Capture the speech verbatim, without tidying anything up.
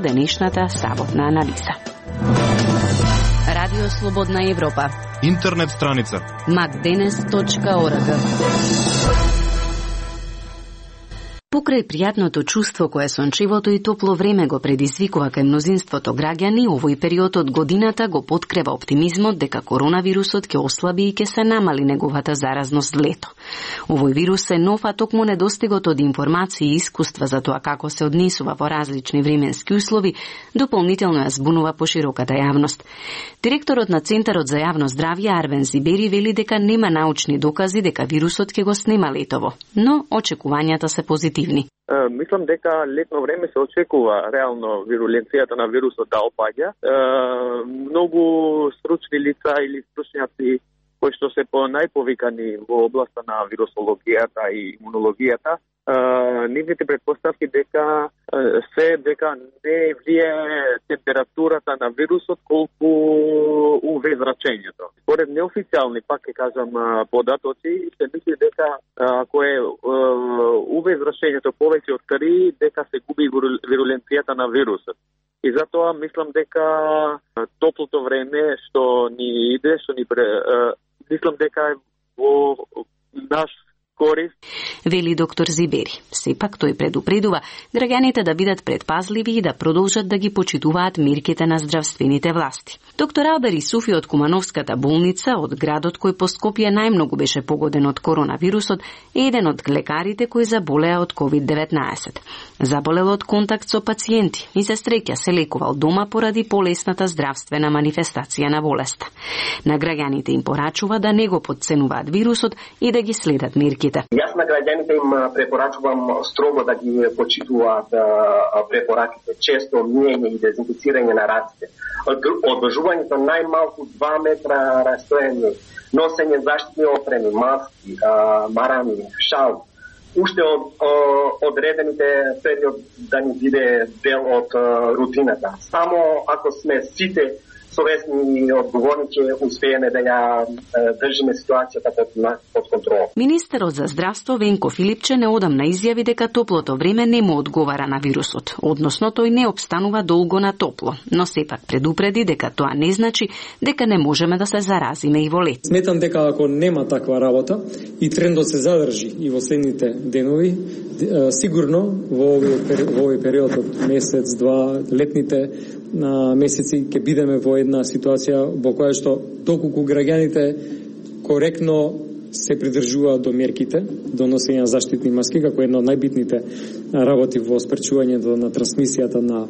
денешната саботна анализа. Радио Слободна Европа. Интернет страница макденес точка орг. Покрај пријатното чувство кое сончевото и топло време го предизвикува кај мнозинството граѓани, овој период од годината го поткрева оптимизмот дека коронавирусот ќе ослаби и ќе се намали неговата заразност лето. Овој вирус е нов, а токму недостигот од информации и искуства за тоа како се однесува во различни временски услови, дополнително ја збунува пошироката јавност. Директорот на Центарот за јавно здравје Арвен Зибери вели дека нема научни докази дека вирусот ќе го снема летово, но очекувањата се позитивни. Uh, мислам дека летно време се очекува реално вируленцијата на вирусот да опаѓа. Uh, многу стручни лица или стручњаци кои што се по најповикани во областа на вирусологијата и имунологијата, uh, нивните предпоставки дека uh, се дека не влијае температурата на вирусот колку у ве зрачењето. Според неофицијални, пак ќе кажам, податоци, се мисли дека ако е у ве зрачењето повеќе од три, дека се губи вируленцијата на вирусот. И затоа мислам дека топлото време што ни иде, што ни пре, мислам дека е во наш корист, вели доктор Зибери. Сепак тој предупредува граѓаните да бидат предпазливи и да продолжат да ги почитуваат мерките на здравствените власти. Доктор Албер Исуфи од Кумановската болница, од градот кој по Скопје најмногу беше погоден од коронавирусот, е еден од лекарите кои заболеа од ковид деветнаесет. Заболел од контакт со пациенти и се среќа се лекувал дома поради полесната здравствена манифестација на болеста. На граѓаните им порачува да не го потценуваат вирусот и да ги следат мерките. Јас на граѓаните им препорачувам строго да ги почитуваат препораките, често миење и дезинфицирање на раците, одржувањето најмалку два метра растојање, носење заштитни опреми, маски, марами, шал, уште од одредените период да ни биде дел од рутината. Само ако сме сите совесни и одговорни ќе успееме да ја држиме ситуацијата под, под контрол. Министерот за здравство Венко Филипче неодамна изјави дека топлото време не му одговара на вирусот, односно тој не обстанува долго на топло, но сепак предупреди дека тоа не значи дека не можеме да се заразиме и во лет. Сметам дека ако нема таква работа и трендот се задржи и во следните денови, сигурно во овој, во овој период од месец, два, летните на месеци ќе бидеме во една ситуација во која што доколку граѓаните коректно се придржуваат до мерките, до носење на заштитни маски, како една од најбитните работи во спречувањето на трансмисијата на